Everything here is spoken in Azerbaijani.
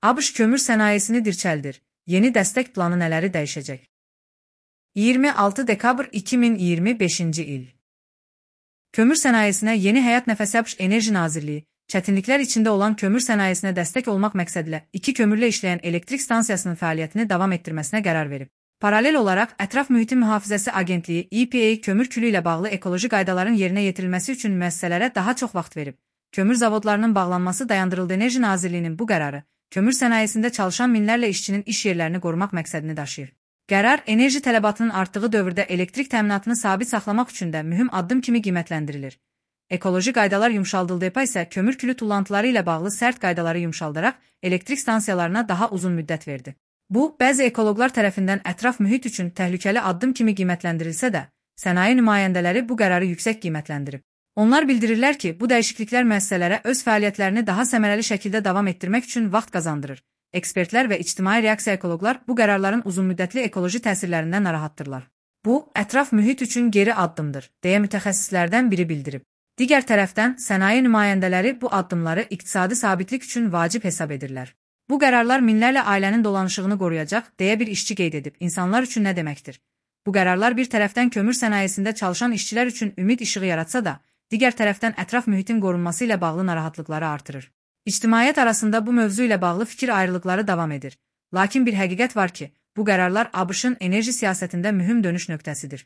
ABŞ kömür sənayesini dirçəldir. Yeni dəstək planı nələri dəyişəcək? 26 dekabr 2025-ci il. Kömür sənayesinə yeni həyat nəfəsi ABŞ Enerji Nazirliyi, çətinliklər içində olan kömür sənayesinə dəstək olmaq məqsədilə 2 kömürlə işləyən elektrik stansiyasının fəaliyyətini davam etdirməsinə qərar verib. Paralel olaraq, Ətraf Mühitin Mühafizəsi Agentliyi EPA kömür külü ilə bağlı ekoloji qaydaların yerinə yetirilməsi üçün müəssisələrə daha çox vaxt verib. Kömür zavodlarının bağlanması dayandırıldı. Enerji Nazirliyinin bu qərarı, kömür sənayesində çalışan minlərlə işçinin iş yerlərini qorumaq məqsədini daşıyır. Qərar, enerji tələbatının artdığı dövrdə elektrik təminatını sabit saxlamaq üçün də mühüm addım kimi qiymətləndirilir. Ekoloji qaydalar yumşaldıldı. EPA isə kömür külü tullantıları ilə bağlı sərt qaydaları yumşaldaraq elektrik stansiyalarına daha uzun müddət verdi. Bu, bəzi ekoloqlar tərəfindən ətraf mühit üçün təhlükəli addım kimi qiymətləndirilsə də, sənaye nümayəndələri bu qərarı yüksək qiymətləndirib. Onlar bildirirlər ki, bu dəyişikliklər müəssisələrə öz fəaliyyətlərini daha səmərəli şəkildə davam etdirmək üçün vaxt qazandırır. Ekspertlər və ictimai reaksiya ekoloqlar bu qərarların uzunmüddətli ekoloji təsirlərindən narahatdırlar. Bu, ətraf mühit üçün geri addımdır, deyə mütəxəssislərdən biri bildirib. Digər tərəfdən, sənaye nümayəndələri bu addımları iqtisadi sabitlik üçün vacib hesab edirlər. Bu qərarlar minlərlə ailənin dolanışığını qoruyacaq, deyə bir işçi qeyd edib. İnsanlar üçün nə deməkdir? Bu qərarlar bir tərəfdən kömür sənayesində çalışan işçilər üçün ümid işığı yaratsa da, digər tərəfdən ətraf mühitin qorunması ilə bağlı narahatlıqları artırır. İctimaiyyət arasında bu mövzu ilə bağlı fikir ayrılıqları davam edir. Lakin bir həqiqət var ki, bu qərarlar ABŞ-ın enerji siyasətində mühüm dönüş nöqtəsidir.